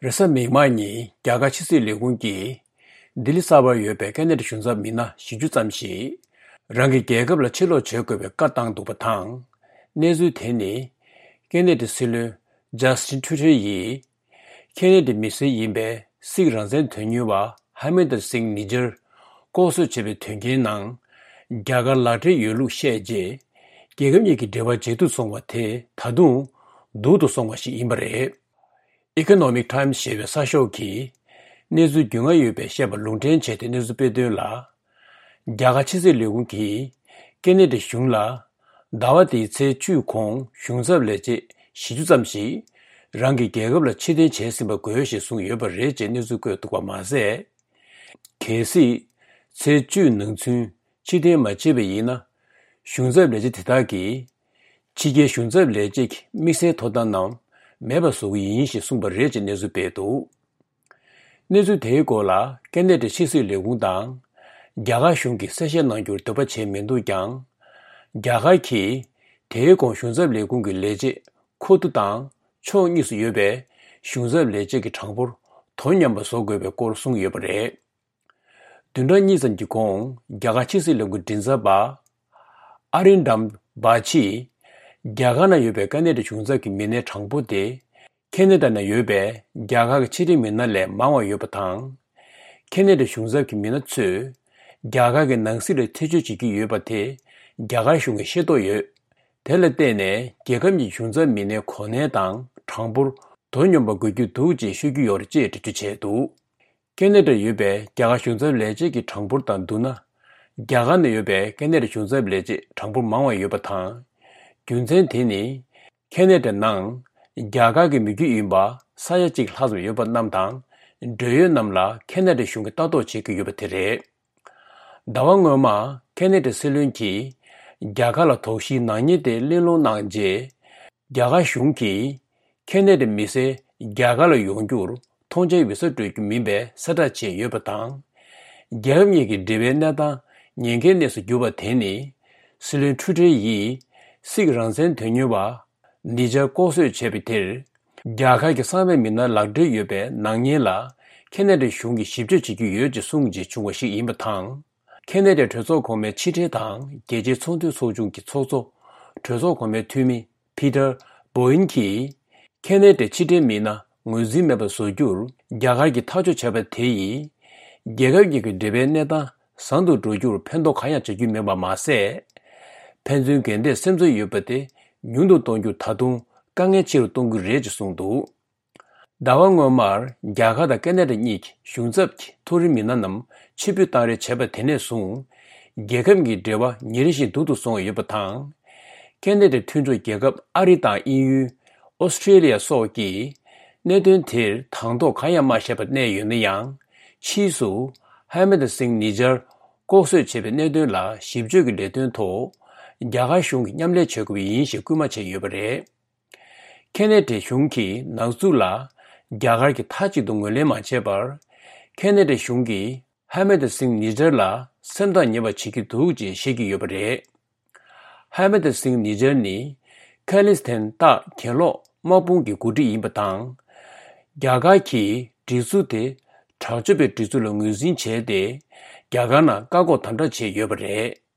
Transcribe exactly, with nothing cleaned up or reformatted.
རེས་གཟའ་མིག་དམར་ཉིན་རྒྱ་གར་ཕྱི་སྲིད་ལས་ཁུངས་ཀྱིས་ལྡི་ལི་གསར་པར་ཡོད་པའི་ཁེ་ན་ཌའི་གཞུང་ཚབ་མི་སྣ་བཞི་བཅུ་ཙམ་ཞིག་རང་གི་རྒྱལ་ཁབ་ལ་ཕྱིར་ལོག་བྱེད་དགོས་པའི་བཀའ་བཏང་འདུག་པ་དང་། གནས་ཚུལ་དེ་ནི་ཁེ་ན་ཌའི་སྲིད་བློན་ཇ་སི་ཊིན་ཊུ་ཌེ་ཡིས་ཁེ་ན་ཌའི་མི་སེར་ཡིན་པའི་སིག་རང་བཙན་དོན་གཉེར་བ་ཧར་མིན་དར་སིང་ནི་ཇར་ལྐོག་གསོད་བྱས་པའི་དོན་རྐྱེན་ནང་རྒྱ་གར་ལག་འབྲེལ་ཡོད་ལུགས་བཤད་རྗེས། རྒྱལ་ཁབ་གཉིས་ཀྱི་འབྲེལ་བ་ཇེ་སྡུག་སོང་བ་དེ་ད་དུང་སྡུག་ཏུ་སོང་བ་ཞིག་ཡིན་པ་རེད། Economic Times ཞེས་པའི་གསར་ཤོག་གིས་གནས་ཚུལ་རྒྱུས་མངའ་ཡོད་པའི་བཤད་པ་ལུང་འདྲེན་བྱས་ཏེ་གནས་ཚུལ་སྤེལ་དོན་ལ། རྒྱ་གར་ཕྱི་སྲིད་ལས་ཁུངས་ཀྱིས་ཁེ་ན་ཌའི་གཞུང་ལ་ཟླ་བ་འདིའི་ཚེས་བཅུ་གོང་གཞུང་ཚབ་ལས་བྱེད་བཞི་བཅུ་ཙམ་ཞིག་རང་གི་རྒྱལ་ཁབ་ལ་ཕྱིར་འཐེན་བྱས་ཟིན་པ་དགོས་ཞེས་གསུངས་ཡོད་པ་རེད་ཅེས་གནས་ཚུལ་བཀོད་འདུག་པ་མ་ཟད། གལ་སྲིད་ཚེས་བཅུ་ནང་ཚུན་ཕྱིར་འཐེན་མ་བྱས་པ་ཡིན་ན། གཞུང་ཚབ་ལས་བྱེད་དེ་དག་གིས་ཕྱི་རྒྱལ་གཞུང་ཚབ་ལས་བྱེད་ཀྱི་དམིགས་བསལ་ཐོབ་ཐང་རྣམས་མེད་པ་བཟོ་གི་ཡིན་ཞེས་གསུངས་པ་རེད་ཅེས་གནས་ཚུལ་སྤེལ་འདུག་གནས་ཚུལ་དེའི་སྐོར་ལ་ཁེ་ན་ཌའི་ཕྱི་སྲིད་ལས་ཁུངས་དང་རྒྱ་གར་གཞུང་གིས་གསལ་བཤད་གནང་རྒྱུར་འདོད་པ་བྱས་མི་འདུག་ཀྱང་། རྒྱ་གར་གྱིས་དེའི་གོང་གཞུང་ཚབ་ལས་ཁུངས་ཀྱི་ལས་བྱེད་ཁུ་ཏུ་དང་ཕྱོགས་གཉིས་སུ་ཡོད་པའི་གཞུང་ཚབ་ལས་བྱེད་ཀྱི་གྲངས་འབོར་དོ་མཉམ་པ་བཟོ་དགོས་པའི་སྐོར་གསུངས་ཡོད་པ་རེད། བདུན་ཕྲག་གཉིས་ཙམ་གྱི་གོང་རྒྱ་གར་ཕྱི་སྲིད་ལས་ཁུངས་མགྲིན་ཚབ་པ་ཨ་རིན་དམ་བྷ་ཆིས་རྒྱ་གར་ན་ཡོད་པའི་ཁེ་ན་ཌའི་གཞུང་ཚབ་ཀྱི་མི་སྣའི་གྲངས་འབོར་དེ་ཁེ་ན་ཌ་ན་ཡོད་པའི་རྒྱ་གར་གྱི་ཕྱི་འབྲེལ་མི་སྣ་ལས་མང་བ་ཡོད་པ་དང་། ཁེ་ན་ཌའི་གཞུང་ཚབ་ཀྱི་མི་སྣ་ཚོས་རྒྱ་གར་གྱི་ནང་སྲིད་ལ་ཐེ་བྱུས་བྱེད་ཀྱི་ཡོད་པ་དེ་རྒྱ་གར་གཞུང་གིས་ཤེས་རྟོགས་ཡོད། དེ་ལ་བརྟེན་ནས་རྒྱལ་ཁབ་གཉིས་གཞུང་ཚབ་མི་སྣའི་གོ་གནས་དང་གྲངས་འབོར་དོ་སྙོམས་པ་དགོས་ཀྱི་འདུག་ཅེས་ཤོད་ཀྱི་ཡོད་རེད་ཅེས་འགྲེལ་བརྗོད་བྱས་འདུག་ཁེ་ན་ཌར་ཡོད་པའི་རྒྱ་གར་གཞུང་ཚབ་ལས་བྱེད་ཀྱི་གྲངས་འབོར་དང་བསྡུར་ན། རྒྱ་གར་ན་ཡོད་པའི་ཁེ་ན་ཌའི་གཞུང་ཚབ་ལས་བྱེད་གྲངས་འབོར་མང་བ་ཡོད་པ་དང་། རྒྱུ་མཚན་དེ་ནི། ཁེ་ན་ཌའི་ནང་རྒྱ་གར་གྱི་མི་རྒྱུད་ཡིན་པ་ས་ཡ་གཅིག་ལྷག་ཙམ་ཡོད་པ་རྣམས་དང་། འབྲེལ་ཡོད་རྣམས་ལ་ཁེ་ན་ཌའི་གཞུང་གིས་ལྟ་རྟོག་བྱེད་ཀྱི་ཡོད་པ་དེ་རེད། ཟླ་བ་སྔོན་མ་ཁེ་ན་ཌའི་སྲིད་བློན་གྱིས་རྒྱ་གར་ལ་དོགས་གཞིའི་ནག་ཉེས་དེ་གླེང་སློང་གནང་རྗེས། རྒྱ་གར་གཞུང་གིས་ཁེ་ན་ཌའི་མི་སེར་རྒྱ་གར་ལ་ཡོང་རྒྱུར་ཐོངས་མཆན་ཡིག་ཚང་སྤྲོད་རྒྱུ་མིན་པའི་གསལ་བསྒྲགས་བྱས་ཡོད་པ་དང་། རྒྱལ་ཁབ་གཉིས་ཀྱི་འབྲེལ་བའི་གནས་སྟངས་ཉེན་ཁའི་གནས་སུ་གྱུར་པ་དེ་ནི། སྲིད་བློན་ཁྲུ་ཁྲེ་ཡིས་སིག་རང་བཙན་དོན་གཉེར་བ་ནི་ཇར་ལྐོག་གསོད་བྱས་པའི་དེར། རྒྱ་གར་གྱི་གསང་བའི་མི་སྣ་ལག་འབྲེལ་ཡོད་པའི་ནག་ཉེས་ལ་ཁེ་ན་ཌའི་གཞུང་གིས་ཞིབ་དཔྱོད་བྱེད་ཀྱི་ཡོད་ཅེས་གསུངས་རྗེས་བྱུང་བ་ཞིག་ཡིན་པ་དང་། ཁེ་ན་ཌའི་གྲོས་ཚོགས་གོང་མའི་ཕྱི་འབྲེལ་དང་རྒྱལ་སྤྱིའི་ཚོང་དོན་ཚོགས་ཆུང་གི་ཚོགས་གཙོ་གྲོས་ཚོགས་གོང་མའི་འཐུས་མི་པི་ཏར་བོ་ཨིན་གྱིས། ཁེ་ན་ཌའི་ཕྱི་འབྲེལ་མི་སྣ་ངོས་འཛིན་མེད་པར་བཟོ་རྒྱུར་རྒྱ་གར་གྱིས་ཐག་གཅོད་བྱས་པ་དེ་ཡིས། རྒྱལ་ཁབ་གཉིས་ཀྱི་འབྲེལ་བའི་གནས་སྟངས་བཟང་དུ་འགྲོ་རྒྱུར་ཕན་ཐོགས་གང་ཡང་བྱ་རྒྱུ་མེད་པ་མ་ཟད། ཕན་ཚུན་འགལ་ཟླའི་སེམས་ཚོར་ཡོད་པ་དེ་ཉུང་དུ་གཏོང་རྒྱུར་ད་དུང་དཀའ་ངལ་ཆེ་རུ་གཏོང་གི་རེད་ཅེས་གསུངས་འདུག་ཟླ་བ་སྔོན་མར་རྒྱ་གར་དང་ཁེ་ན་ཌ་གཉིས་ཀྱི་གཞུང་ཚབ་ཀྱི་མཐོ་རིམ་མི་སྣ་རྣམས་ཕྱིར་འབུད་གཏང་རེས་བྱས་པ་དེ་ནས་བཟུང་། རྒྱལ་ཁབ་གཉིས་འབྲེལ་བ་ཉིན་རེ་བཞིན་སྡུག་ཏུ་སོང་ཡོད་པ་དང་། ཁེ་ན་ཌའི་མཐུན་གྲོགས་རྒྱལ་ཁབ་ཨ་རི་དང་དབྱིན་ཡུལ། ཨོ་སི་ཁྲེ་ལི་ཡ་སོགས་ཀྱིས་གནད་དོན་དེར་དང་ཐོག་གང་ཡང་མ་བཤད་པར་གནས་ཡོད་ན་ཡང་། ཕྱིས་སུ་ཧར་མིན་དར་སིང་ནི་ཇར་ལྐོག་གསོད་བྱས་པའི་གནད་དོན་ལ་ཞིབ་དཔྱོད་ཀྱི་ལས་དོན་ཐོག་རྒྱ་གར་གཞུང་གིས་མཉམ་ལས་བྱེད་དགོས་པ་ཡིན་ཞེས་སྐུལ་མ་བྱས་ཡོད་པ་རེད། ཁེ་ན་ཌའི་གཞུང་གིས་ནག་འཛུགས་ལ་རྒྱ་གར་གྱིས་མཐའ་གཅིག་ཏུ་ངོས་ལེན་མ་བྱས་པར། ཁེ་ན་ཌའི་གཞུང་གིས་ཧར་མིན་དར་སིང་ནི་ཇར་ལ་སེམས་ཐག་ཉེ་བ་བྱེད་ཀྱི་འདུག་ཅེས་བཤད་ཀྱི་ཡོད་པ་རེད། ཧར་མིན་དར་སིང་ནི་ཇར་ནི་ཁ་ལིས་ཐན་སྟག་གྱེན་ལོག་དམག་དཔུང་གི་འགོ་ཁྲིད་ཡིན་པ་དང་། རྒྱ་གར་གྱིས་སྒྲིག་འཛུགས་དེ་དྲག་སྤྱོད་པའི་སྒྲིག་འཛུགས་ལ་ངོས་འཛིན་བྱས་ཏེ། རྒྱ་གར་ནང་བཀག་འགོག་དམ་དྲག་བྱས་ཡོད་པ་རེད།